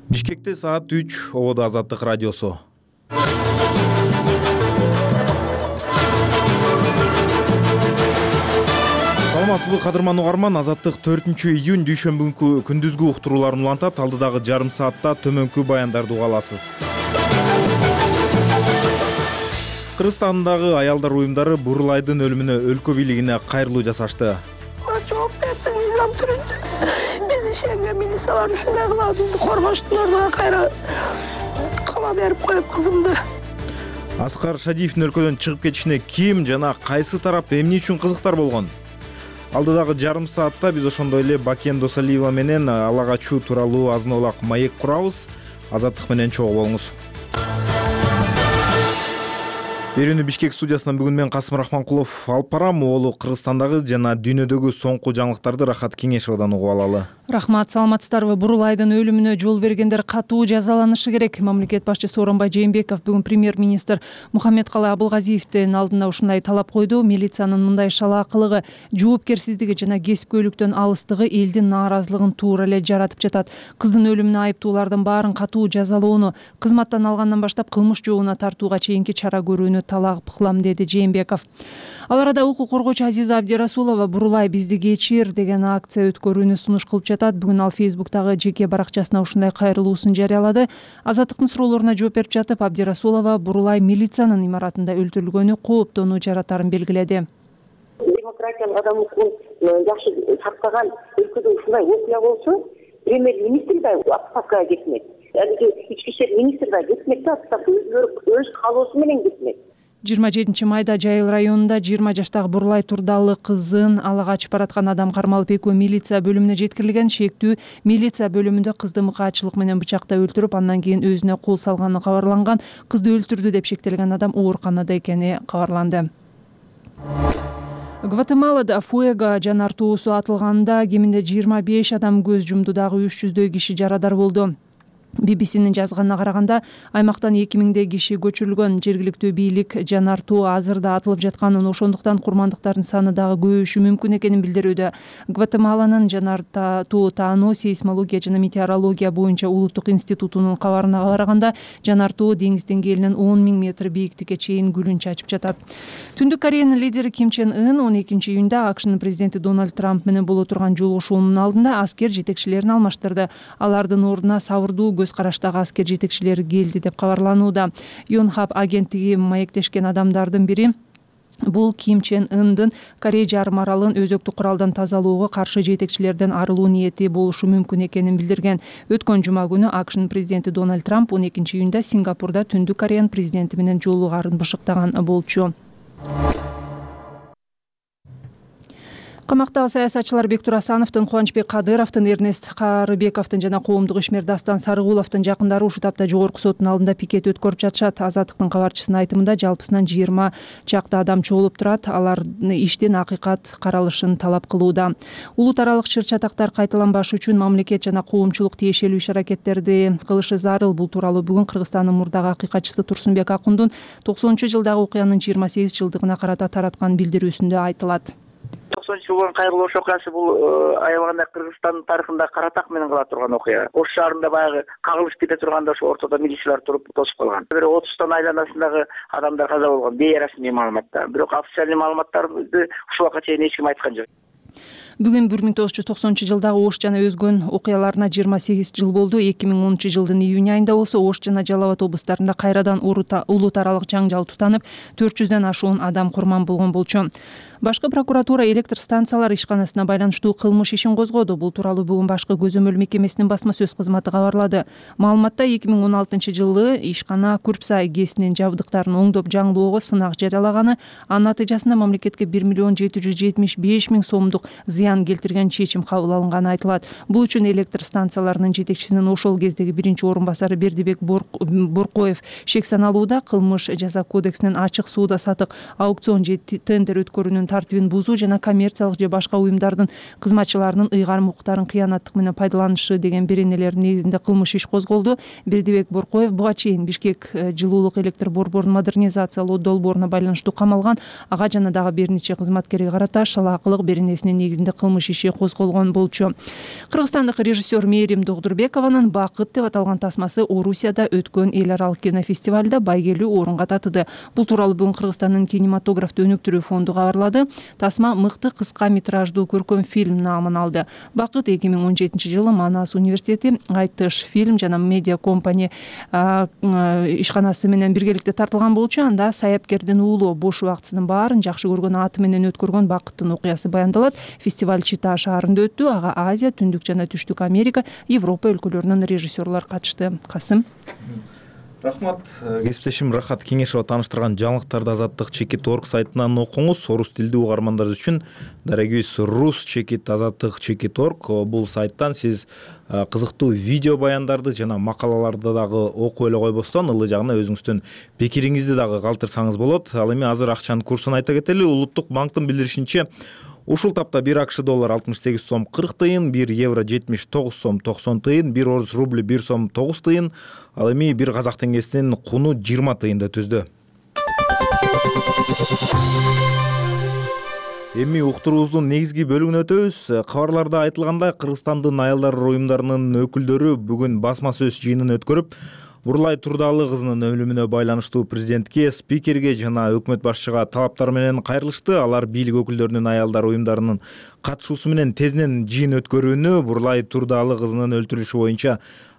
Бишкекте саат 3, Ободо Азаттык радиосу. Саламатсызбы кадырман угарман, Азаттык 4-июнь дүйшөмбү күндүзгү уктурууларын улантат. Алдыдагы жарым саатта төмөнкү баяндарды уга аласыз. Кыргызстандагы аялдар уюмдары Бурулайдын өлүмүнө өлкө бийлигине кайрылуу жасашты. Жооп берсин мыйзам түрүндө. Биз ишенген министрлер ушундай кылат, бизди коргоштун ордуна кайра кала берип коюп кызымды. Аскар Шадиевдин өлкөдөн чыгып кетишине ким жана кайсы тарап эмне үчүн кызыктар болгон? Алдыдагы жарым саатта биз ошондой эле Бакен Досалиева менен ала качуу тууралуу азын-аулак маек курабыз. Азаттык менен чогуу болуңуз. Берүүнү Бишкек студиясынан бүгүн мен Касым Рахманкулов алып барам. Оолу Кыргызстандагы жана дүйнөдөгү соңку жаңылыктарды Рахат Кеңешовдон угуп алалы. Рахмат, саламатсыздарбы? Бурулайдын өлүмүнө жол бергендер катуу жазаланышы керек. Мамлекет башчысы Сооронбай Жээнбеков бүгүн премьер-министр Мухаммедкалый Абылгазиевдин алдына ушундай талап койду. Милициянын мындай шалаакылыгы, жоопкерсиздиги жана кесипкөйлүктөн алыстыгы элдин нааразылыгын туура эле жаратып жатат. Кыздын өлүмүнө айыптуулардын баарын катуу жазалоону, кызматтан алгандан баштап кылмыш жообуна тартууга чейинки чара көрүүнү талап кылам, деди Жээнбеков. Ал арада укук коргоочу Азиза Абдирасулова Бурулай бизди кечир деген акция өткөрүүнү сунуш кылып жатат. Бүгүн ал Фейсбуктагы жеке баракчасына ушундай кайрылуусун жарыялады. Азаттыктын суроолоруна жооп берип жатып, Абдирасулова Бурулай милициянын имаратында өлтүрүлгөнү кооптонуу жаратарын белгиледи. Демократиянын адам укугун жакшы сактаган өлкөдө ушундай окуя болсо, премьер-министр да отставкага кетмек. Алиги ички иштер министри да кетмек да, өз каалоосу менен кетмек. 27-майда Жайыл районунда 20 жаштагы Бурулай Турдалы кызын ала качып бараткан адам кармалып экөө милиция бөлүмүнө жеткирилген. Шектүү милиция бөлүмүндө кызды мыкаачылык менен бычактап өлтүрүп, андан кийин өзүнө кол салганы кабарланган. Кызды өлтүрдү деп шектелген адам ооруканада экени кабарланды. Гватемалада Фуэго жанар тоосу атылганда кеминде 25 адам көз жумду, дагы 300дөй киши жарадар болду. BBC-нин жазганына караганда, аймактан 2000 киши көчүрүлгөн. Жергиликтүү бийлик жанар тоо азыр да атылып жатканын, ошондуктан курмандыктардын саны дагы көбөйүшү мүмкүн экенин билдирүүдө. Гватемаланын жанар тоо таануу, сейсмология жана метеорология боюнча улуттук институтунун кабарына караганда, жанар тоо деңиз деңгээлинен 10 000 метр бийиктикке чейин гүлүн чачып жатат. Түндүк Кореянын лидери Ким Чен Ын 12-июнда АКШнын президенти Дональд Трамп менен боло турган жолугушуунун алдында аскер жетекчилерин алмаштырды. Алардын ордуна сабырдуу көз караштагы аскер жетекчилери келди деп кабарланууда. Yonhap агенттиги маектешкен адамдардын бири бул Ким Чен Ындын Корея жарым аралын өзөктүк куралдан тазалоого каршы жетекчилерден арылуу ниети болушу мүмкүн экенин билдирген. Өткөн жума күнү АКШнын президенти Дональд Трамп 12-июнда Сингапурда Түндүк Кореянын президенти менен жолугарын бышыктаган болчу. Камактагы саясатчылар Бектур Асановдун, Кубанычбек Кадыровдун, Эрнест Карыбековдун жана коомдук ишмер Дастан Сарыгуловдун жакындары ушул тапта жогорку соттун алдында пикет өткөрүп жатышат. Азаттыктын кабарчысынын айтымында жалпысынан 20 чакты адам чогулуп турат. Алар иштин акыйкат каралышын талап кылууда. Улут аралык чыр-чатактар кайталанбашы үчүн мамлекет жана коомчулук тиешелүү иш-аракеттерди кылышы зарыл. Бул тууралуу бүгүн Кыргызстандын мурдагы акыйкатчысы Турсунбек Акундун 90-жылдагы окуянын 28 жылдыгына карата тараткан билдирүүсүндө айтылат. 90-жылдын кайрылуу окуясы бул аябаганда Кыргызстандын тарыхында кара так менен кала турган окуя. Ош шаарында баягы кагылышып кете турганда ошо ортодо милициялар туруп тосуп калган. Бир 30 айланасындагы адамдар каза болгон, бейрасмий маалыматтар. Бирок официальный маалыматтарды ушул убакка чейин эч ким айткан жок. Бүгүн 1990-жылдагы Ош жана өзгөн окуяларына 28 жыл болду. 2010 жылдын июнь айында болсо Ош жана Жалал Абад облустарында кайрадан улут аралык жаңжал тутанып, 400дөн ашуун адам курман болгон болчу. Башкы прокуратура электр станциялар ишканасына байланыштуу кылмыш ишин козгоду. Бул тууралуу бүгүн башкы көзөмөл мекемесинин басма сөз кызматы кабарлады. Маалыматта 2016 жылы ишкана Күрпсай ГЭСинин жабдыктарын оңдоп жаңылоого сынак жарыялаганы, анын натыйжасында мамлекетке 1 775 000 сомдук зыян келтирген чечим кабыл алынганы айтылат. Бул үчүн электр станцияларынын жетекчисинин ошол кездеги биринчи орун басары Бердибек Боркоев шек саналууда. Кылмыш жаза кодексинин ачык сууда сатык, аукцион же тендер өткөрүүнүн тартибин бузуу жана коммерциялык же башка уюмдардын кызматчыларынын ыйгарым укуктарын кыянаттык менен пайдаланышы деген беренелердин негизинде кылмыш иш козголду. Бердибек Боркоев буга чейин Бишкек жылуулук электр борборун модернизациялоо долбооруна байланыштуу камалган. Ага жана дагы бир нече кызматкерге карата шалаакылык беренесинин негизинде кылмыш иши козголгон болчу. Кыргызстандык режиссер Мээрим Догдурбекованын «Бакыт» деп аталган тасмасы Орусияда өткөн эл аралык кинофестивалда байгелүү орунга татыды. Бул тууралуу бүгүн Кыргызстандын кинематографты өнүктүрүү фонду кабарлады. Тасма мыкты кыска метраждуу көркөм фильм наамын алды. «Бакыт» 2017-жылы Манас университети Айтыш фильм жана медиа компания ишканасы менен биргеликте тартылган болчу. Анда саяпкердин уулу бош убактысынын баарын жакшы көргөн аты менен өткөргөн бакыттын окуясы баяндалат. Фестиваль Чита шаарында өттү. Ага Азия, Түндүк жана Түштүк Америка, Европа өлкөлөрүнөн режиссерлор катышты. Касым. Рахмат. Кесиптешим Рахат Кеңешова тааныштырган жаңылыктарды Азаттык Чекит орг сайтынан окуңуз. Орус тилдүү угармандар үчүн дарегибиз Рус Чекит Азаттык Чекит орг. Бул сайттан сиз кызыктуу видео баяндарды жана макалаларды дагы окуп эле койбостон ылы жагына өзүңүздүн пикириңизди дагы калтырсаңыз болот. Ал эми азыр акчанын курсун айта кетели. Улуттук банктын билдиришинче ушул тапта 1 АКШ доллар 68 сом 40 тыйын, 1 евро 79 сом 90 тыйын, 1 орус рубли 1 сом 9 тыйын, ал эми 1 казак теңгесинин куну 20 тыйынды түздү. Эми уктуруубуздун негизги бөлүгүнө өтөбүз. Кабарларда айтылгандай, Кыргызстандын аялдар уюмдарынын өкүлдөрү бүгүн басма сөз жыйынын өткөрүп, Бурлай Турдалы кызынын өлүмүнө байланыштуу президентке, спикерге жана өкмөт башчыга талаптар менен кайрылышты. Алар бийлик өкүлдөрүнүн аялдар уюмдарынын катышуусу менен тезинен жыйын өткөрүүнү, Бурлай Турдалы кызынын өлтүрүлүшү боюнча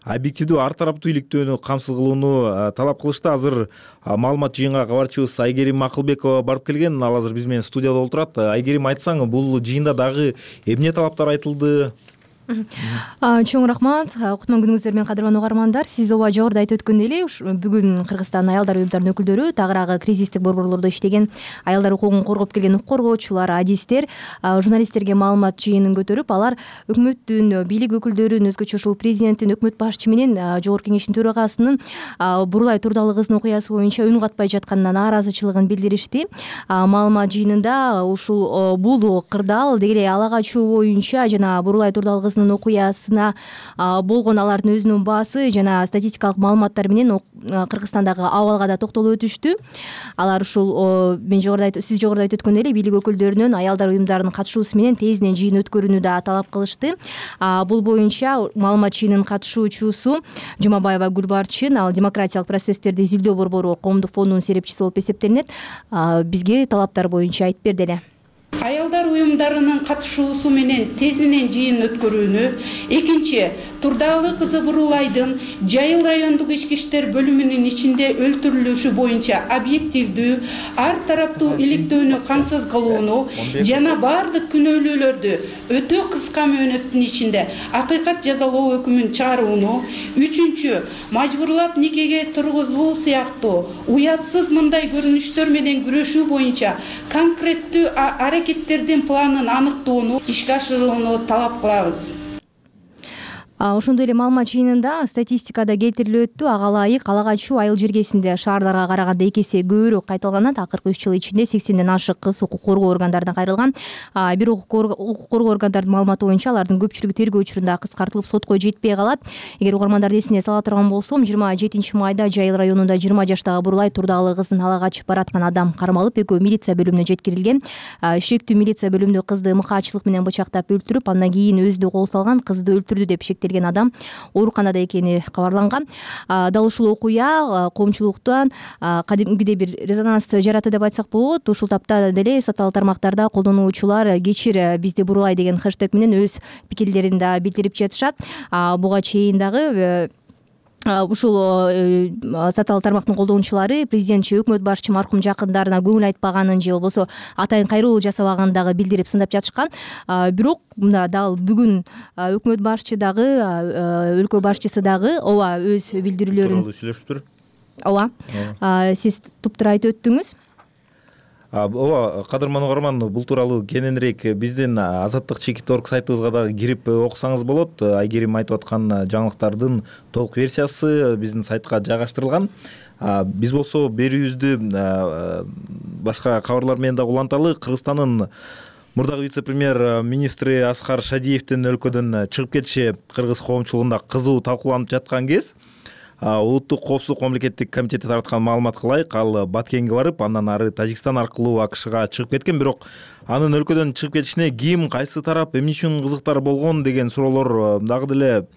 объективдүү ар тараптуу иликтөөнү камсыз кылууну талап кылышты. Азыр маалымат жыйынга кабарчыбыз Айгерим Акылбекова барып келген. Ал азыр биз менен студияда отурат. Айгерим, айтсаң, бул жыйында дагы эмне талаптар айтылды? Чоң рахмат. Кутман күнүңүздөр менен кадырлануу угармандар. Сиз ооба жогоруда айтып өткөндөй эле, бүгүн Кыргызстан аялдар уюмдарынын өкүлдөрү, тагыраагы кризистик борборлордо иштеген, аялдар укугун коргоп келген укук коргоочулар, адистер, журналисттерге маалымат жыйынын көтөрүп, алар өкмөттүн, бийлик өкүлдөрүнүн, өзгөчө ушул президенттин, өкмөт башчы менен Жогорку Кеңештин төрагасынын Бурлай Турдалы кызынын окуясы боюнча үн катпай жатканына нааразычылыгын билдиришти. Маалымат жыйынында ушул бул кырдаал деги эле ала качуу боюнча жана Бурлай Турдалы окуясына болгон алардын өзүнүн баасы жана статистикалык маалыматтар менен Кыргызстандагы абалга да токтолуп өтүштү. Алар ушул сиз жогоруда айтып өткөндөй эле бийлик өкүлдөрүнүн аялдар уюмдарынын катышуусу менен тезинен жыйын өткөрүүнү да талап кылышты. Бул боюнча маалымат жыйынынын катышуучусу Жумабаева Гүлбарчын, ал демократиялык процесстерди изилдөө борбору коомдук фондунун серепчиси болуп эсептелинет. Бизге талаптар боюнча айтып берди эле. Аялдар уюмдарынын катышуусу менен тезинен жыйын өткөрүүнү, экинчи, Турдалы кызы Бурулайдын Жайыл райондук ички иштер бөлүмүнүн ичинде өлтүрүлүшү боюнча объективдүү, ар тараптуу иликтөөнү камсыз кылууну жана бардык күнөөлүүлөрдү өтө кыска мөөнөттүн ичинде акыйкат жазалоо өкүмүн чыгарууну, үчүнчү, мажбурлап никеге тургузуу сыяктуу уятсыз мындай көрүнүштөр менен күрөшүү боюнча конкреттүү аракеттердин планын аныктоону ишке ашырууну талап кылабыз. Ошондой эле маалымат жыйынында статистикада келтирилип өттү. Ага ылайык ала качуу айыл жергесинде шаарларга караганда 2 эсе көбүрөөк кайталганат. Акыркы 3 жыл ичинде 80ден ашык кыз укук коргоо органдарына кайрылган. Бир укук коргоо органдарынын маалыматы боюнча алардын көпчүлүгү тергөө учурунда кыскартылып сотко жетпей калат. Эгер угармандарды эсине сала турган болсом, 27 майда Жайыл районунда 20 жаштагы Бурлай Турдалы кызын ала качып бараткан адам кармалып, экөө милиция бөлүмүнө жеткирилген. Шектүү милиция бөлүмүндө кызды мыкаачылык менен бычактап өлтүрүп, андан кийин өзү кол салган, кызды өлтүрдү деп адам ооруканада экени кабарланган. Дал ушул окуя коомчулуктан кадимгидей бир резонанс жаратты деп айтсак болот. Ушул тапта деле социалдык тармактарда колдонуучулар кечир бизди Бурлай деген хэштег менен өз пикирлерин да билдирип жатышат. Буга чейин дагы ушул социалдык тармактын колдонуучулары президентчи, өкмөт башчы маркум жакындарына көңүл айтпаганын же болбосо атайын кайрылуу жасабаганын дагы билдирип сындап жатышкан. Бирок мында дал бүгүн өкмөт башчы дагы, өлкө башчысы дагы ооба өз билдирүүлөрүн сүйлөшүптүр. Ооба. Сиз туптура айтып өттүңүз. Ооба, кадырман угарман, бул тууралуу кененирээк биздин Азаттык Чекит орг сайтыбызга дагы кирип окусаңыз болот. Айгерим айтып аткан жаңылыктардын толук версиясы биздин сайтка жайгаштырылган. Биз болсо берүүбүздү башка кабарлар менен дагы уланталы. Кыргызстандын мурдагы вице-премьер министри Аскар Шадиевдин өлкөдөн чыгып кетиши кыргыз коомчулугунда кызуу талкууланып жаткан кез Улуттук коопсуздук мамлекеттик комитети тараткан маалыматка ылайык, ал Баткенге барып, андан ары Тажикстан аркылуу АКШга чыгып кеткен. Бирок анын өлкөдөн чыгып кетишине ким, кайсы тарап, эмне үчүн кызыктар болгон деген суроолор дагы деле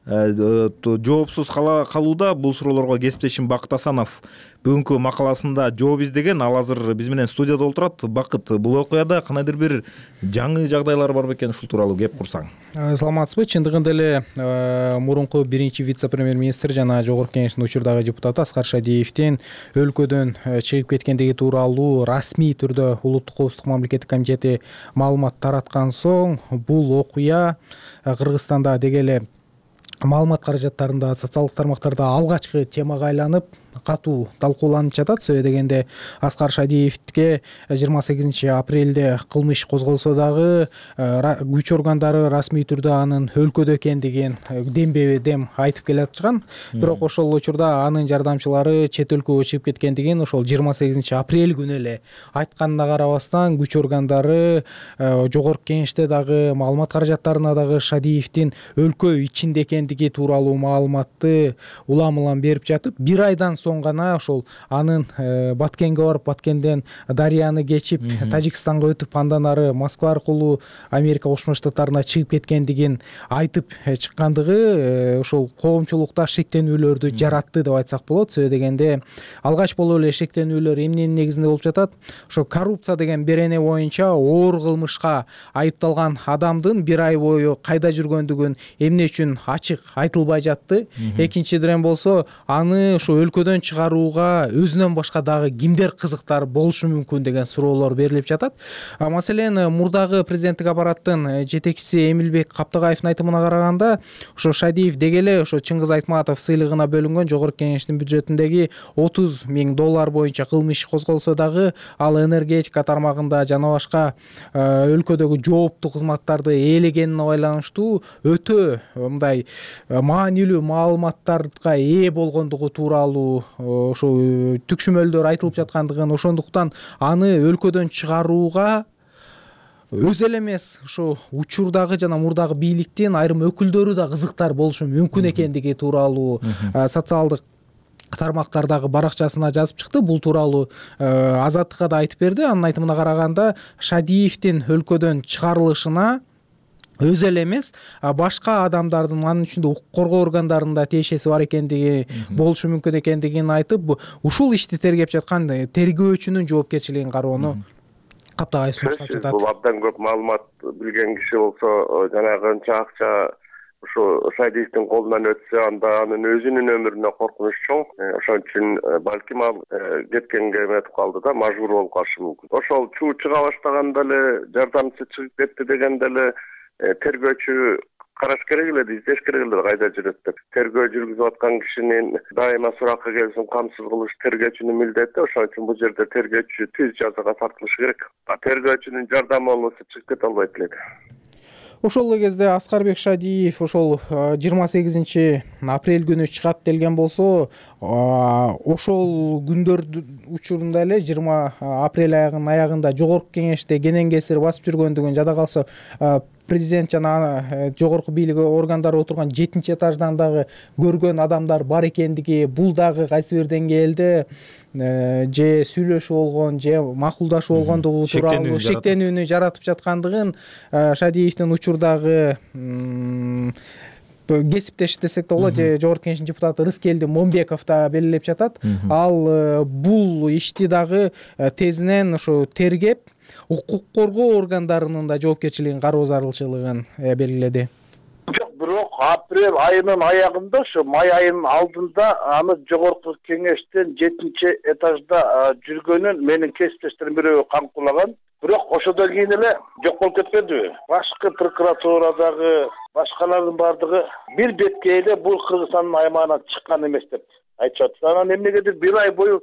жоопсуз калууда. Бул суроолорго кесиптешим Бакыт Асанов бүгүнкү макаласында жооп издеген. Ал азыр биз менен студияда отурат. Бакыт, бул окуяда кандайдыр бир жаңы жагдайлар бар бекен? Ушул тууралуу кеп курсаң. Саламатсызбы? Чындыгында эле мурунку биринчи вице-премьер-министр жана Жогорку Кеңештин учурдагы депутаты Аскар Шадиевдин өлкөдөн чыгып кеткендиги тууралуу расмий түрдө Улуттук коопсуздук мамлекеттик комитети маалымат тараткан соң, бул окуя Кыргызстанда деги эле маалымат каражаттарында, социалдык тармактарда алгачкы темага айланып катуу талкууланып жатат. Себеби дегенде Аскар Шадиевге 28 апрелде кылмыш козголсо дагы күч органдары расмий түрдө анын өлкөдө экендигин дембе-дем айтып келатышкан. Бирок ошол учурда анын жардамчылары чет өлкөгө чыгып кеткендигин ошол 28 апрель күнү эле айтканына карабастан, күч органдары Жогорку Кеңеште дагы маалымат каражаттарына дагы Шадиевдин өлкө ичинде экендиги тууралуу маалыматты улам берип жатып, бир айдан соң гана ошол анын Баткенге барып, Баткенден Дарыяны кечип Тажикстанга өтүп, андан ары Москва аркылуу Америка Кошмо Штаттарына чыгып кеткендигин айтып чыккандыгы ошол коомчулукта шектенүүлөрдү жаратты деп айтсак болот. Себеби дегенде алгач болуп эле шектенүүлөр эмненин негизинде болуп жатат? Ошо коррупция деген берене боюнча оор кылмышка айыпталган адамдын бир ай бою кайда жүргөндүгүн эмне үчүн ачык айтылбай жатты. Экинчиден болсо, аны ошо өлкөдөн чыгарууга өзүнөн башка дагы кимдер кызыктар болушу мүмкүн деген суроолор берилип жатат. Маселен, мурдагы президенттик аппараттын жетекчиси Эмилбек Каптагаевдин айтымына караганда, ошо Шадиев деги эле ошо Чыңгыз Айтматов сыйлыгына бөлүнгөн Жогорку Кеңештин бюджетиндеги $30,000 боюнча кылмыш козголсо дагы ал энергетика тармагында жана башка өлкөдөгү жооптуу кызматтарды ээлегенине байланыштуу өтө мындай маанилүү маалыматтарга ээ болгондугу тууралуу ошо түкшүмөлдөр айтылып жаткандыгын, ошондуктан аны өлкөдөн чыгарууга өзү эле эмес, ошо учурдагы жана мурдагы бийликтин айрым өкүлдөрү да кызыктар болушу мүмкүн экендиги тууралуу социалдык тармактардагы баракчасына жазып чыкты. Бул тууралуу Азаттыкка да айтып берди. Анын айтымына караганда, Шадиевдин өлкөдөн чыгарылышына өзү эле эмес, башка адамдардын, анын ичинде укук коргоо органдарында тиешеси бар экендиги, болушу мүмкүн экендигин айтып, ушул ишти тергеп жаткан тергөөчүнүн жоопкерчилигин кароону Каптагаев сунуштап жатат. Бул абдан көп маалымат билген киши болсо, жанагы канча акча ушу Шадиевдин колунан өтсө, анда анын өзүнүн өмүрүнө коркунуч чоң. Ошон үчүн балким ал кеткенге эметип калды да, мажбур болуп калышы мүмкүн. Ошол чуу чыга баштаганда эле жардамчысы чыгып кетти дегенде эле тергөөчү караш керек эле, издеш керек эле кайда жүрөт деп. Тергөө жүргүзүп аткан кишинин дайыма суракка келсин камсыз кылыш тергөөчүнүн милдети. Ошон үчүн бул жерде тергөөчү түз жазага тартылышы керек. Тергөөчүнүн жардамы болбосо чыгып кете албайт элек. Ошол кезде Аскарбек Шадиев ошол 28 апрель күнү чыгат делген болсо, ошол күндөр учурунда эле 20 апрель аягында Жогорку Кеңеште кенен кесир басып жүргөндүгүн, жада калса президент жана жогорку бийлик органдары отурган 7-этаждан дагы көргөн адамдар бар экендиги, бул дагы кайсы бир деңгээлде же сүйлөшүү болгон, же макулдашуу болгондугу тууралуу шектенүүнү жаратып жаткандыгын Шадиевдин учурдагы кесиптеш десек да болот, Жогорку Кеңештин депутаты Рыскелди Момбеков да белгилеп жатат. Ал бул ишти дагы тезинен ошо тергеп, укук коргоо органдарынын да жоопкерчилигин кароо зарылчылыгын белгиледи. Бирок апрель айынын аягында, ошо май айынын алдында аны Жогорку Кеңештен 7-этажда жүргөнүн менин кесиптештерим бирөө камкулаган. Бирок ошодон кийин эле жок болуп кетпедиби? Башкы прокуратурадагы башкалардын бардыгы бир бетке эле бул Кыргызстандын аймагынан чыккан эмес деп айтышат. Анан эмнегедир бир ай бою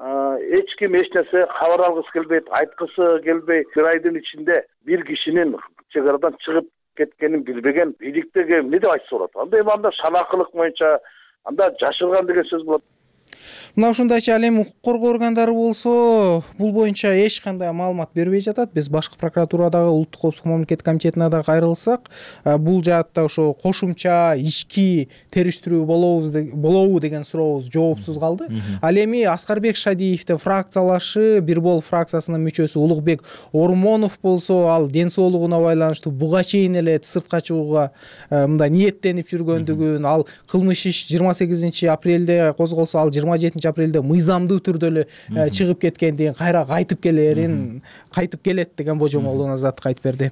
эч ким эч нерсе кабар алгысы келбейт, айткысы келбей, бир айдын ичинде бир кишинин чек арадан чыгып кеткенин билбеген бийликтеги эмне деп айтса болот? Анда эми анда шанакылык боюнча анда жашырган деген сөз болот. Мына ушундайча ал эми укук коргоо органдары болсо бул боюнча эч кандай маалымат бербей жатат. Биз башкы прокуратурадагы улуттук коопсуздук мамлекеттик комитетине да кайрылсак, бул жаатта ошо кошумча ички териштирүү болобу деген сурообуз жоопсуз калды. Ал эми Аскарбек Шадиевдин фракциялашы Бир Бол фракциясынын мүчөсү Улукбек Ормонов болсо, ал ден соолугуна байланыштуу буга чейин эле сыртка чыгууга мындай ниеттенип жүргөндүгүн, ал кылмыш иш 28 апрелде козголсо, ал 27 апрелде мыйзамдуу түрдө эле чыгып кеткендигин, кайра кайтып келет деген божомолдун азаттык айтып берди.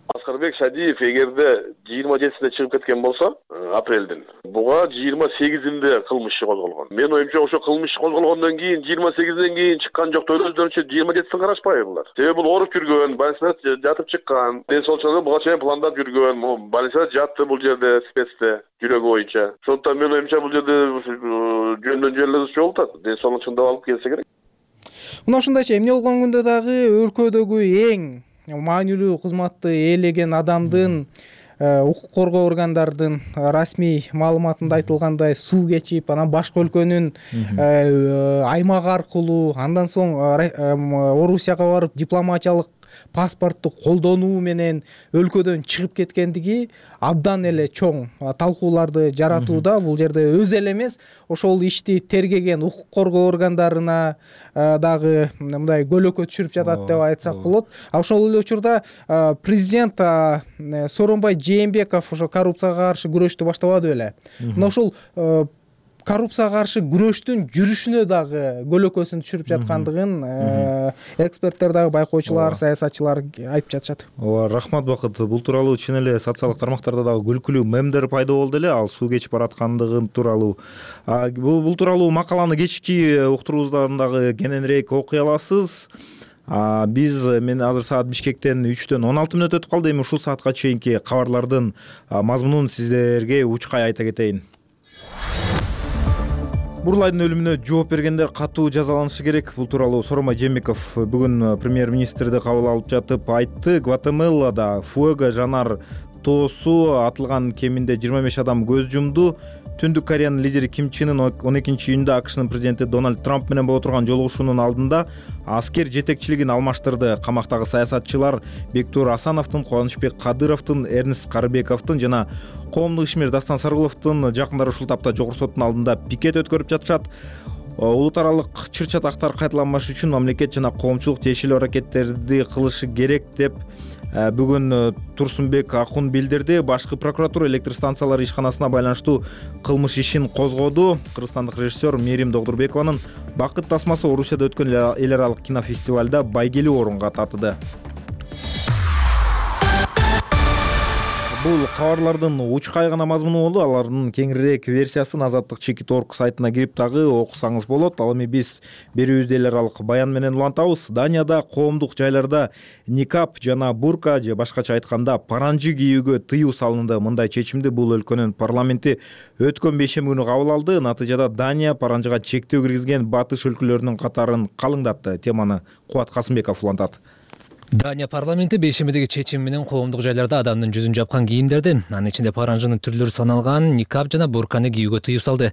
Аскарбек Шадиев эгерде 27-синде чыгып кеткен болсо, апрелдин, буга 28-инде кылмыш иши козголгон. Мен оюмча ошо кылмыш иши козголгондон кийин 28-ден кийин чыккан жок, өздөрүнчө 27-син карашпайбы булар? Себеби бул ооруп жүргөн, больницада жатып чыккан, ден соолугун буга чейин пландап жүргөн, больницада жатты бул жерде спецте жүрөгү боюнча. Ошондуктан мен оюмча бул жерде жөндөн жөн эле болуп атат. Ден соолугун чындап алып келсе керек. Мына ушундайча эмне болгон күндө дагы өлкөдөгү эң маанилүү кызматты ээлеген адамдын укук коргоо органдарынын расмий маалыматында айтылгандай суу кечип, анан башка өлкөнүн аймагы аркылуу, андан соң Орусияга барып дипломатиялык паспортту колдонуу менен өлкөдөн чыгып кеткендиги абдан эле чоң талкууларды жаратууда. Бул жерде өзү эле эмес, ошол ишти тергеген укук коргоо органдарына дагы мындай көлөкө түшүрүп жатат деп айтсак болот. Ошол эле учурда президент Сооронбай Жээнбеков ошо коррупцияга каршы күрөштү баштабады беле. Мына ошол коррупцияга каршы күрөштүн жүрүшүнө дагы көлөкөсүн түшүрүп жаткандыгын эксперттер дагы, байкоочулар, саясатчылар айтып жатышат. Ооба, рахмат Бакыт. Бул тууралуу чын эле социалдык тармактарда дагы күлкүлүү мемдер пайда болду эле, ал суу кечип бараткандыгы тууралуу. Бул тууралуу макаланы кечки уктуруубуздан дагы кененирээк окуй аласыз. Мен азыр саат Бишкектен 3-төн 16 мүнөт өтүп калды. Эми ушул саатка чейинки кабарлардын мазмунун сиздерге учкай айта кетейин. Бурлайдын өлүмүнө жооп бергендер катуу жазаланышы керек. Бул тууралуу Сооронбай Жээнбеков бүгүн премьер-министрди кабыл алып жатып айтты. Гватемалада Фуэго жанар тоосу атылган кеминде 25 адам көз жумду. Түндүк Кореянын лидери Ким Чен Ын 12-июнда АКШнын президенти Дональд Трамп менен боло турган жолугушуунун алдында аскер жетекчилигин алмаштырды. Камактагы саясатчылар Бектур Асановдун, Кубанычбек Кадыровдун, Эрнест Карыбековдун жана коомдук ишмер Дастан Саргуловдун жакындары ушул тапта Жогорку соттун алдында пикет өткөрүп жатышат. Улут аралык чыр-чатактар кайталанбаш үчүн мамлекет жана коомчулук тиешелүү аракеттерди кылышы керек деп бүгүн Турсунбек Акун билдирди. Башкы прокуратура электр станциялары ишканасына байланыштуу кылмыш ишин козгоду. Кыргызстандык режиссер Мерим Догдурбекованын Бакыт тасмасы Орусияда өткөн эл аралык кинофестивалда байгелүү орунга татыды. Бул кабарлардын учкай гана мазмуну болду. Алардын кеңирээк версиясын Азаттык Чекит.орг сайтына кирип дагы окусаңыз болот. Ал эми биз берүүбүздү эл аралык баян менен улантабыз. Данияда коомдук жайларда никап жана бурка же башкача айтканда паранжы кийүүгө тыюу салынды. Мындай чечимди бул өлкөнүн парламенти өткөн бейшемби күнү кабыл алды. Натыйжада Дания паранжыга чектөө киргизген батыш өлкөлөрүнүн катарын калыңдатты. Теманы Кубат Касымбеков улантат. Дания парламенти бейшембидеги чечим менен коомдук жайларда адамдын жүзүн жапкан кийимдерди, анын ичинде паранжынын түрлөрү саналган никап жана бурканы кийүүгө тыюу салды.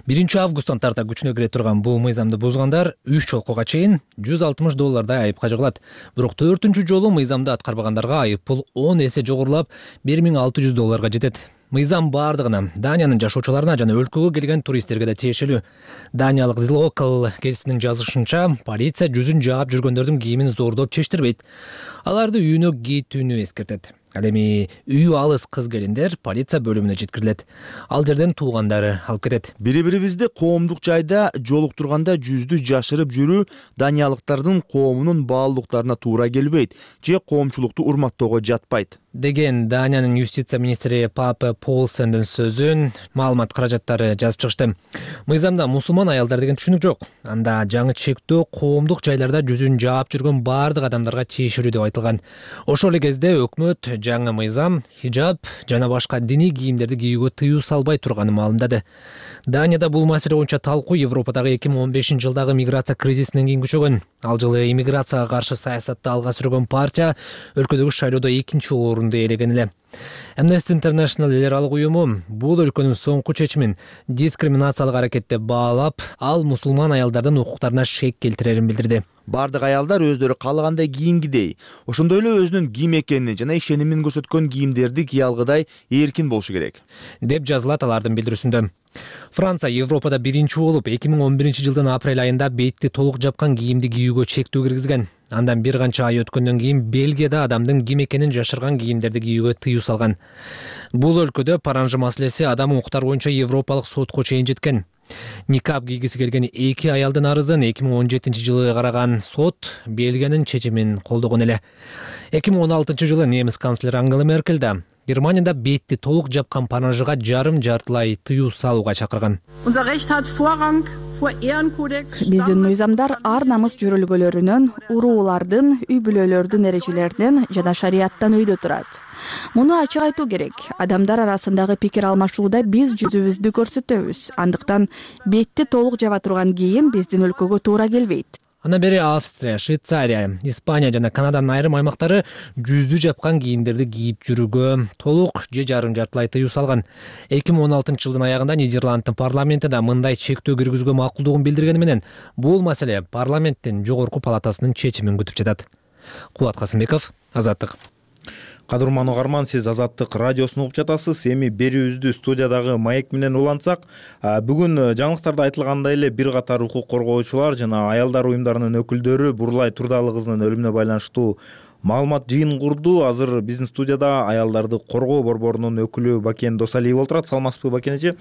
1-августтан тарта күчүнө кире турган бул мыйзамды бузгандар 3 жолкуга чейин $160 айыпка жыгылат. Бирок 4-чү жолу мыйзамды аткарбагандарга айып пул 10 эсе жогорулап $1,600 жетет. Мыйзам бардыгына, Даниянын жашоочуларына жана өлкөгө келген туристтерге да тиешелүү. Даниялык The Local гезитинин жазышынча, полиция жүзүн жаап жүргөндөрдүн кийимин зордоп чечтирбейт. Аларды үйүнө кетүүнү эскертет. Ал эми үйү алыс кыз-келиндер полиция бөлүмүнө жеткирилет. Ал жерден туугандары алып кетет. Бири-бирибизди коомдук жайда жолуктурганда жүздү жашырып жүрүү даниялыктардын коомунун баалуулуктарына туура келбейт же коомчулукту урматтоого жатпайт деген Даниянын юстиция министри Папе Полсендин сөзүн маалымат каражаттары жазып чыгышты. Мыйзамда мусулман аялдар деген түшүнүк жок. Анда жаңы чектөө коомдук жайларда жүзүн жаап жүргөн бардык адамдарга тиешелүү деп айтылган. Ошол эле кезде өкмөт жаңы мыйзам хижаб жана башка диний кийимдерди кийүүгө тыюу салбай турганын маалымдады. Данияда бул маселе боюнча талкуу Европадагы 2015-жылдагы миграция кризисинен кийин күчөгөн. Ал жылы иммиграцияга каршы саясатты алга сүргөн партия өлкөдөгү шайлоодо 2-орунду орунду ээлеген эле. Amnesty International эл аралык уюму бул өлкөнүн соңку чечимин дискриминациялык аракет деп баалап, ал мусулман аялдардын укуктарына шек келтирерин билдирди. Бардык аялдар өздөрү каалагандай кийингидей, ошондой эле өзүнүн ким экенин жана ишенимин көрсөткөн кийимдерди кие алгыдай эркин болушу керек, деп жазылат алардын билдирүүсүндө. Франция Европада биринчи болуп 2011 жылдын апрель айында бетти толук жапкан кийимди кийүүгө чектөө киргизген. Андан бир канча ай өткөндөн кийин Бельгияда адамдын ким экенин жашырган кийимдерди кийүүгө тыюу салган. Бул өлкөдө паранжы маселеси адам укуктары боюнча Европалык сотко чейин жеткен. Никап кийгиси келген 2 аялдын арызын 2017 жылы караган сот Бельгиянын чечимин колдогон эле. 2016 жылы немис канцлери Ангела Меркель да Германияда бетти толук жапкан паранжыга жарым-жартылай тыюу салууга чакырган. Биздин мыйзамдар ар намыс жөрөлгөлөрүнөн, уруулардын, үй бүлөлөрдүн эрежелеринен жана шарияттан өйдө турат. Муну ачык айтуу керек. Адамдар арасындагы пикир алмашууда биз жүзүбүздү көрсөтөбүз. Андыктан бетти толук жаба турган кийим биздин өлкөгө туура келбейт. Андан бери Австрия, Швейцария, Испания жана Канаданын айрым аймактары жүздү жапкан кийимдерди кийип жүрүүгө толук же жарым-жартылай тыюу салган. 2016 жылдын аягында Нидерланддын парламенти да мындай чектөө киргизүүгө макулдугун билдиргени менен бул маселе парламенттин жогорку палатасынын чечимин күтүп жатат. Кубат Касымбеков, Азаттык. Кадырман угарман, сиз Азаттык радиосун угуп жатасыз. Эми берүүбүздү студиядагы маек менен улантсак, бүгүн жаңылыктарда айтылгандай эле бир катар укук коргоочулар жана аялдар уюмдарынын өкүлдөрү Бурулай Турдалы кызынын өлүмүнө байланыштуу маалымат жыйын курду. Азыр биздин студияда аялдарды коргоо борборунун өкүлү Бакен Досалиева отурат. Саламатсызбы, Бакен эже?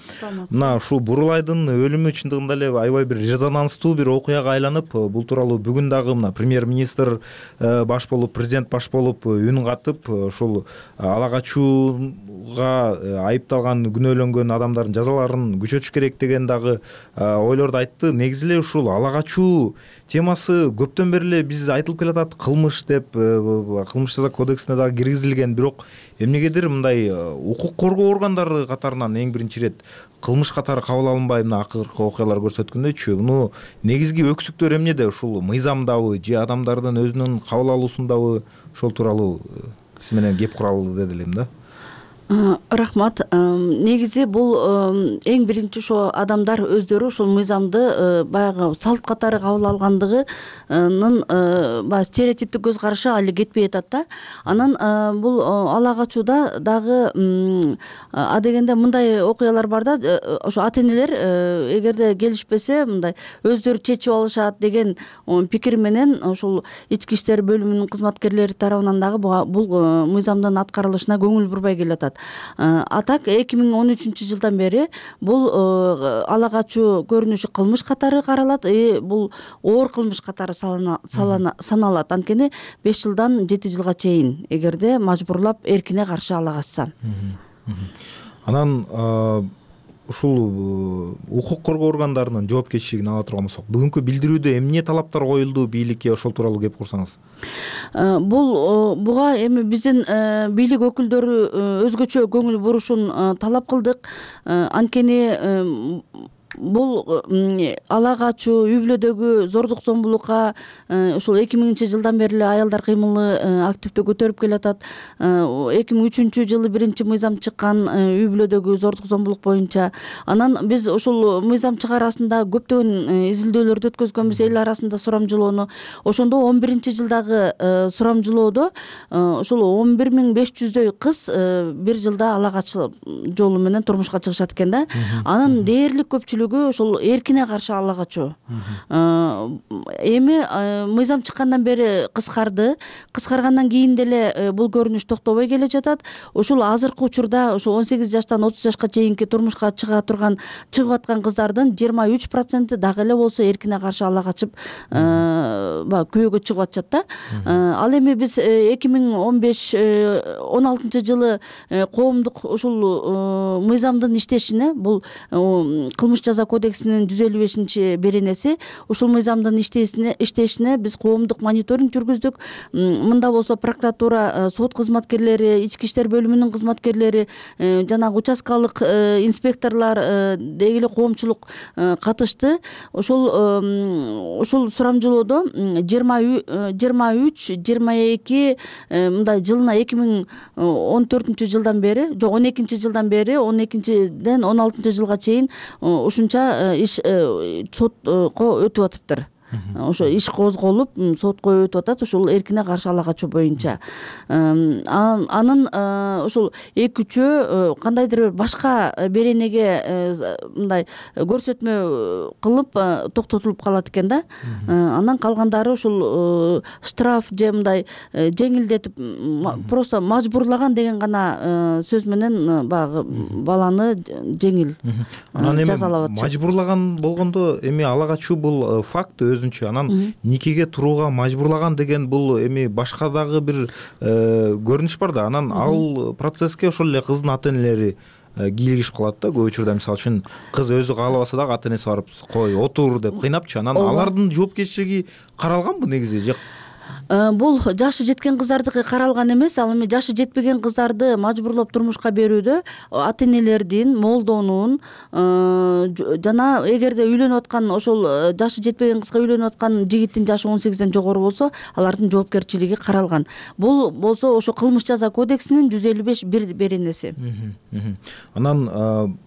Мына ушул Бурулайдын өлүмү чындыгында эле аябай бир резонанстуу бир окуяга айланып, бул тууралуу бүгүн дагы мына премьер-министр баш болуп, президент баш болуп үн катып, ушул ала качууга айыпталган, күнөөлөнгөн адамдардын жазаларын күчөтүш керек деген дагы ойлорду айтты. Негизи эле ушул ала качуу темасы көптөн бери эле биз айтылып келатат, кылмыш деп, кылмыш жаза кодексине дагы киргизилген. Бирок эмнегедир мындай укук коргоо органдары катарынан эң биринчи ирет кылмыш катары кабыл алынбай, мына акыркы окуялар көрсөткөндөйчү. Муну негизги өксүктөр эмнеде? Ушул мыйзамдабы же адамдардын өзүнүн кабыл алуусундабы? Ошол тууралуу сиз менен кеп куралы деди элем да. Рахмат. Негизи бул эң биринчи ошо адамдар өздөрү ушул мыйзамды баягы салт катары кабыл алгандыгынын баягы стереотиптик көз карашы али кетпей атат да. Анан бул ала качууда дагы адегенде мындай окуялар бар да, ошо ата-энелер эгерде келишпесе мындай өздөрү чечип алышат деген пикир менен ошол ички иштер бөлүмүнүн кызматкерлери тарабынан дагы бул мыйзамдын аткарылышына көңүл бурбай келатат. А так 2013 жылдан бери бул ала качуу көрүнүшү кылмыш катары каралат, бул оор кылмыш катары саналат. Анткени 5 жылдан 7 жылга чейин эгерде мажбурлап эркине каршы ала качса. Анан ушул укук коргоо органдарынын жоопкерчилигин ала турган болсок, бүгүнкү билдирүүдө эмне талаптар коюлду бийликке, ошол тууралуу кеп курсаңыз. Буга эми биздин бийлик өкүлдөрү өзгөчө көңүл бурушун талап кылдык. Анткени бул ала качуу, үй бүлөдөгү зордук зомбулукка ушул 2000 жылдан бери эле аялдар кыймылы активдүү көтөрүп келатат. 2003 жылы биринчи мыйзам чыккан үй бүлөдөгү зордук зомбулук боюнча. Анан биз ушул мыйзам чыгараасында көптөгөн изилдөөлөрдү өткөзгөнбүз эл арасында сурамжылоону. Ошондо 11 жылдагы сурамжылоодо ушул 11500дөй кыз бир жылда ала качуу жолу менен турмушка чыгышат экен да. Анын дээрлик көпчүлүгү ошол эркине каршы ала качуу. Эми мыйзам чыккандан бери кыскаргандан кийин деле бул көрүнүш токтобой келе жатат. Ушул азыркы учурда ошол 18 жаштан 30 жашка чейинки турмушка чыгып аткан кыздардын 23% дагы эле болсо эркине каршы ала качып күйөөгө чыгып атышат да. Ал эми биз 2015-16 жылы коомдук ушул мыйзамдын иштешине, бул кылмыш жаза кодексинин 155 беренеси. Ушул мыйзамдын иштешине биз коомдук мониторинг жүргүздүк. Мында болсо прокуратура, сот кызматкерлери, ички иштер бөлүмүнүн кызматкерлери, жанагы участкалык инспекторлор, деги эле коомчулук катышты. Ушул сурамжылоодо 23-22 мындай жылына 2014 бери, жок 12-жылдан бери 12-ден 16-жылга чейин ушунча иш сотко өтүп атыптыр. Ошо иш козголуп сотко өтүп атат ушул эркине каршы ала качуу боюнча. Анын ушул 2-3 кандайдыр бир башка беренеге мындай көрсөтмө кылып токтотулуп калат экен да. Андан калгандары ушул штраф же мындай жеңилдетип просто мажбурлаган деген гана сөз менен баягы баланы жеңил жазалап атышат. Мажбурлаган болгондо эми ала качуу бул факт анан никеге турууга мажбурлаган деген бул эми башка дагы бир көрүнүш бар да. Анан ал процесске ошол эле кыздын ата энелери кийлигишип калат да. Көп учурда мисалы үчүн кыз өзү каалабаса дагы ата энеси барып кой отур деп кыйнапчы. Анан алардын жоопкерчилиги каралганбы негизи? Бул жашы жеткен кыздардыкы каралган эмес. Ал эми жашы жетпеген кыздарды мажбурлоп турмушка берүүдө ата энелердин, молдонун жана эгерде үйлөнүп аткан ошол жашы жетпеген кызга үйлөнүп аткан жигиттин жашы 18ден жогору болсо, алардын жоопкерчилиги каралган. Бул болсо ошо кылмыш жаза кодексинин 155 беренеси. Анан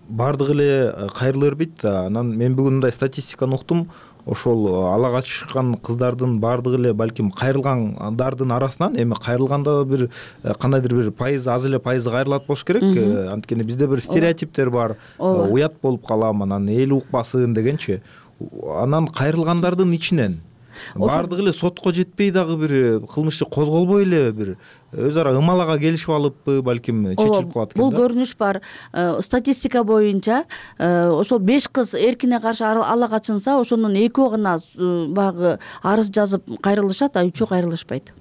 бардыгы эле кайрыла бербейт да. Анан мен бүгүн мындай статистиканы уктум. Ошол ала качкан кыздардын бардыгы эле балким кайрылгандардын арасынан эми кайрылганда бир кандайдыр бир пайыз, аз эле пайызы кайрылат болуш керек. Анткени бизде бир стереотиптер бар. Уят болуп калам, анан эл укпасын дегенчи. Анан кайрылгандардын ичинен бардыгы эле сотко жетпей дагы бир кылмыш козголбой эле бир өз ара ымалага келишип алыппы, балким чечилип калат экен да. Бул көрүнүш бар. Статистика боюнча ошол 5 кыз эркине каршы ала качынса, ошонун 2 гана баягы арыз жазып кайрылышат, а 3 кайрылышпайт.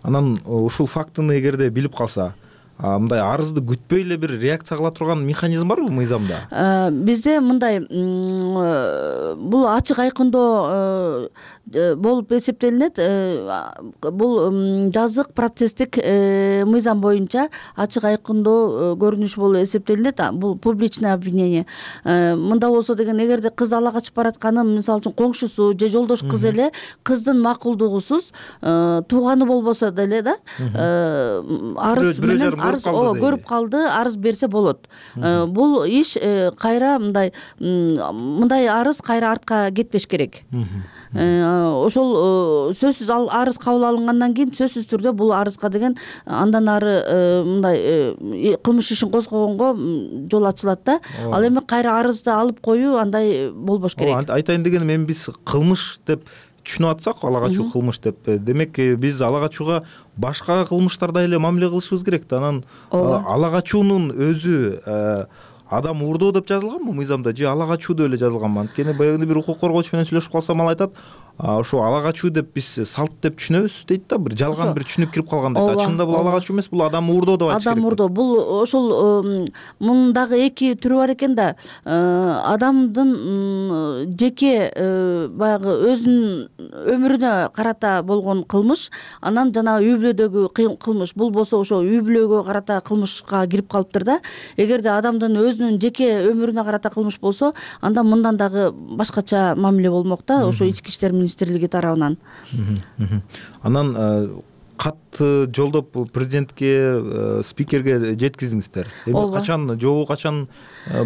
Анан ушул фактыны эгерде билип калса, мындай арызды күтпөй эле бир реакция кыла турган механизм барбы мыйзамда? Бизде мындай бул ачык айкындоо болуп эсептелинет. Бул жазык процесстик мыйзам боюнча ачык айкындоо көрүнүш болуп эсептелинет. Бул публичное обвинение. Мында болсо деген эгерде кыз ала качып баратканын мисалы үчүн коңшусу же жолдош кыз эле кыздын макулдугусуз тууганы болбосо деле да арыз менен көрүп калды, арыз берсе болот. Бул иш кайра мындай арыз кайра артка кетпеш керек. Ошол сөзсүз ал арыз кабыл алынгандан кийин сөзсүз түрдө бул арызга деген андан ары мындай кылмыш ишин козгогонго жол ачылат да. Ал эми кайра арызды алып коюу андай болбош керек. Айтайын дегеним, эми биз кылмыш деп түшүнүп атсак, ала качуу кылмыш деп, демек биз ала качууга башка кылмыштардай эле мамиле кылышыбыз керек да. Анан ала качуунун өзү адам уурдоо деп жазылганбы мыйзамда же ала качуу деп эле жазылганбы? Анткени баягы бир укук коргоочу менен сүйлөшүп калсам ал айтат, ошо ала качуу деп биз салт деп түшүнөбүз дейт да, бир жалган бир түшүнүк кирип калган дейт. Чынында бул ала качуу эмес, бул адам уурдоо деп айтыш керек. Адам уурдоо бул ошол мунун дагы 2 түрү бар экен да. Адамдын жеке баягы өзүнүн өмүрүнө карата болгон кылмыш, анан жана үй бүлөдөгү кылмыш. Бул болсо ошо үй бүлөгө карата кылмышка кирип калыптыр да. Эгерде адамдын өзүнүн жеке өмүрүнө карата кылмыш болсо, анда мындан дагы башкача мамиле болмок да, ошо ички иштер министрлиги тарабынан. Анан катты жолдоп президентке, спикерге жеткиздиңиздер. Эми качан жообу качан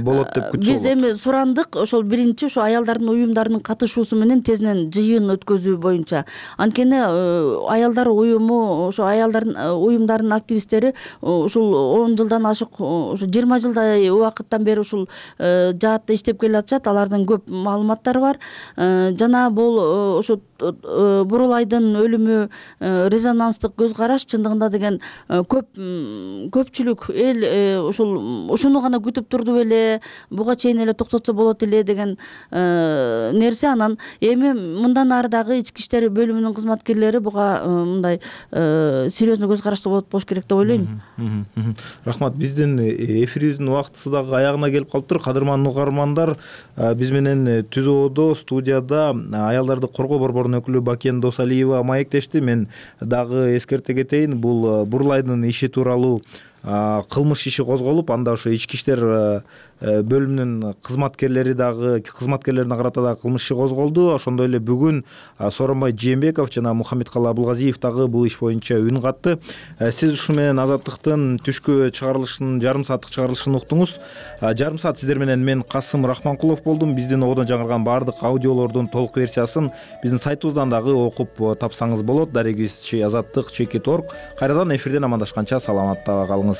болот деп күтсө болот? Биз эми сурандык, ошол биринчи ошо аялдардын уюмдарынын катышуусу менен тезинен жыйын өткөзүү боюнча. Анткени аялдар уюму, ошо аялдардын уюмдарынын активисттери ушул 10 жылдан ашык, ошо 20 жылдай убакыттан бери ушул жаатта иштеп келе атышат. Алардын көп маалыматтары бар. Жана бул ошо Бурулайдын өлүмү резонанстык көз караш чындыгында деген көпчүлүк эл ушуну гана күтүп турду беле, буга чейин эле токтотсо болот эле деген нерсе. Анан эми мындан ары дагы ички иштер бөлүмүнүн кызматкерлери буга мындай серьезный көз карашта болуш керек деп ойлойм. Рахмат. Биздин эфирибиздин убактысы дагы аягына келип калыптыр. Кадырмандуу угармандар, биз менен Түз Ободо студияда аялдарды коргоо борборунун өкүлү Бакен Досалиева маектешти. Мен дагы эскерте кетейин, бул Бурулайдын иши тууралуу кылмыш иши козголуп, анда ошо ички иштер бөлүмүнүн кызматкерлерине карата дагы кылмыш иши козголду. Ошондой эле бүгүн Сооронбай Жээнбеков жана Мухаммедкалы Абылгазиев дагы бул иш боюнча үн катты. Сиз ушу менен Азаттыктын түшкү чыгарылышынын жарым сааттык чыгарылышын уктуңуз. Жарым саат сиздер менен мен Касым Рахманкулов болдум. Биздин ободон жаңырган баардык аудиолордун толук версиясын биздин сайтыбыздан дагы окуп тапсаңыз болот. Дарегибиз Азаттык /org. Кайрадан эфирден амандашканча саламатта калыңыз.